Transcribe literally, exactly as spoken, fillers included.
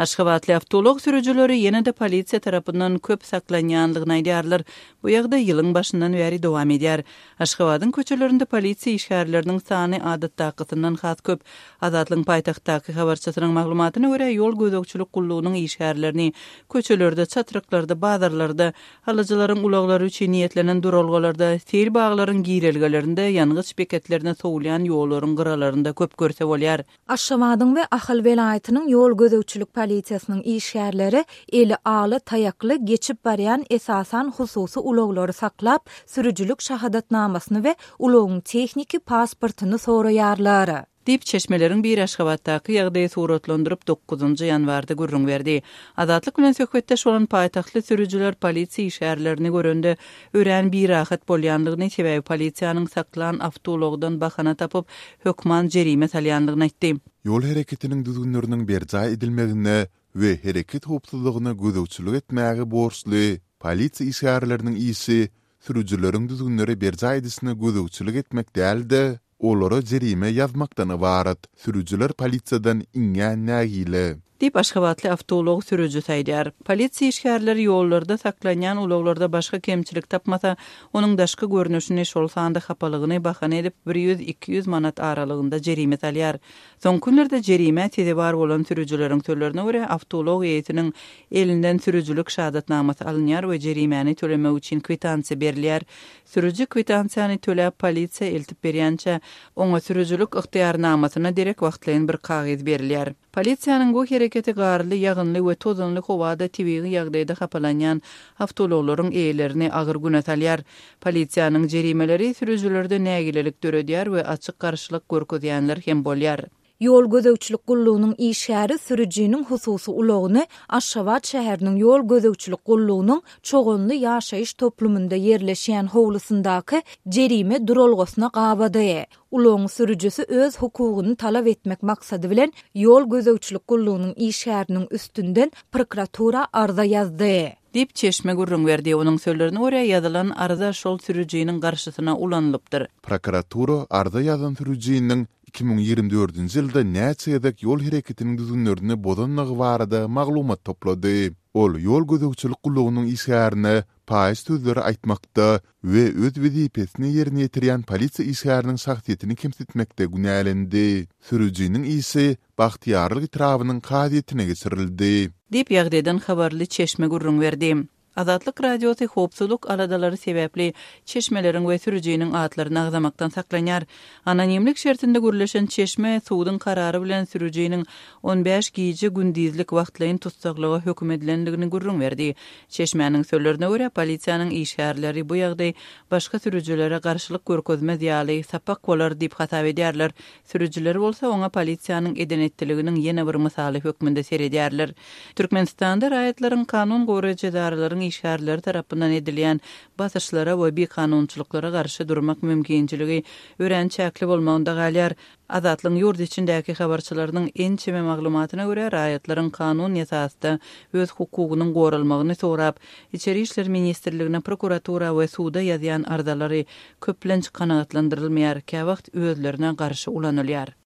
Aşgabatly awtoulag sürüjileri ýene-de polisiýa tarapyndan köp saklanýanlygyny aýdýarlar. Bu ýagdaý ýylyň başyndan bäri dowam edýär. Aşgabadyň köçelerinde polisiýa işgärleriniň sany adatdakysyndan has köp. Azatlygyň paýtagtdaky habarçysynyň maglumatyna görä, ýol gözegçilik gullugynyň işgärlerini köçelerde, çatryklarda, bazarlarda, alyjylaryň ulaglary üçin niýetlenen duralgalarda, seýil baglaryň girelgelerinde, ýangyç beketlerine sowulýan ýollaryň gyralarynda köp görse bolýar. Aşgabadyň we Ahal welaýatynyň ýol gözegçilik polisiýasynyň işgärleri eli ala taýakly geçip barýan esasan hususy ulaglary saklap, sürüjilik şahadatnamasyny we ulagyň tehniki pasportyny soraýarlar. Diýip, çeşmeleriň biri Aşgabatdaky ýagdaýy suratlandyryp, dokuzynjy ýanwarda gürrüň berdi. Azatlyk bilen söhbetdeş bolan paýtagtly sürüjiler polisiýa işgärlerini görende örän birahat bolýanlygyny, sebäbi polisiýanyň saklan awtoulagdan bahana tapyp, hökman jerime salýanlygyny aýtdy. Ýol hereketiniň düzgünleriniň berjaý edilmegine we hereket howpsuzlygyna gözegçilik etmäge borçly polisiýa işgärleriniň işi sürüjileriň düzgünleri berjaý edişine gözegçilik etmek däl-de, olara jerime ýazmakdan ybarat. Sürüjiler polisiýadan iňňän nägile. Diýip, aşgabatly awtoulag sürüjisi aýdýar. Polisiýa işgärleri ýollarda saklanýan ulaglarda başga kemçilik tapmasa, onuň daşky görnüşini, şol sanda hapalygyny bahana edip, bir ýüz, iki ýüz manat aralygynda jerime salýar. Soňky günlerde jerimä sezewar bolan sürüjileriň sözlerine görä, awtoulag eýesiniň elinden sürüjilik şahadatnamasy alynýar we jerimäni tölemek üçin kwitansiýa berilýär. Sürüji kwitansiýany töläp, polisiýa eltip berýänçä, oňa sürüjilik ygtyýarnamasyna derek wagtlaýyn bir kagyz berilýär. Polisiýanyň bu hereketi garly, ýagynly we tozanly howada tebigy ýagdaýda hapalanýan awtoulaglaryň eýelerini agyr güne salýar. Polisiýanyň jerimeleri sürüjilerde nägilelik döredýär we açyk garşylyk görkezýänler hem bolýar. Ýol gözegçilik gullugynyň işgäri sürüjiniň hususy ulagyny Aşgabat şäheriniň ýol gözegçilik gullugynyň Çoganly ýaşaýyş toplumynda ýerleşýän howlusyndaky jerime duralgasyna gabady. Ulagyň sürüjisi öz hukugyny talap etmek maksady bilen ýol gözegçilik gullugynyň işgäriniň üstünden prokuratura arza ýazdy. Diýip, çeşme gürrüň berdi. Onuň sözlerine görä, ýazylan arza şol sürüjiniň garşysyna ulanylypdyr. Prokuratura arza ýazan sürüjiniň iki müň ýigrimi dördünji ýylda näçe gezek ýol hereketiniň düzgünlerini bozanlygy barada maglumat toplady. Ol ýol gözegçilik gullugynyň işgärine paýyş sözleri aýtmakda we öz wezipesini ýerine ýetirýän polisiýa işgäriniň şahsyýetini kemsitmekde günälendi. Sürüjiniň işi Bagtyýarlyk etrabynyň kazyýetine geçirildi. Diýip, ýagdaýdan habarly çeşme gürrüň berdi. Azatlyk Radiosy howpsuzlyk aladalary sebäpli çeşmeleriň we sürüjiniň atlaryny agzamakdan saklanýar. Anonimlik şertinde gürleşen çeşme suduň karary bilen sürüjiniň on bäş gije-gündizlik wagtlaýyn tussaglyga höküm edilendigini gürrüň berdi. Çeşmäniň sözlerine görä, polisiýanyň işgärleri bu ýagdaý başga sürüjilere garşylyk görkezmez ýaly sapak bolar diýip hasap edýärler. Sürüjiler bolsa oňa polisiýanyň eden-etdiliginiň ýene bir mysaly hökmünde seredýärler. Türkmenistanda raýatlaryň kanun goraýjy edaralaryň işgärleri tarapyndan edilýän basyşlara we bikanunçylyklara garşy durmak mümkinçiligi örän çäkli bolmagynda galýar. Azatlygyň ýurt içindäki habarçylarynyň ençeme maglumatyna görä, raýatlaryň kanun esasda öz hukugynyň goralmagyny sorap, Içeri işler ministrligine, prokuratura we suda ýazýan arzalary köplenç kanagatlandyrylmaýar, käwagt özlerine garşy ulanylýar.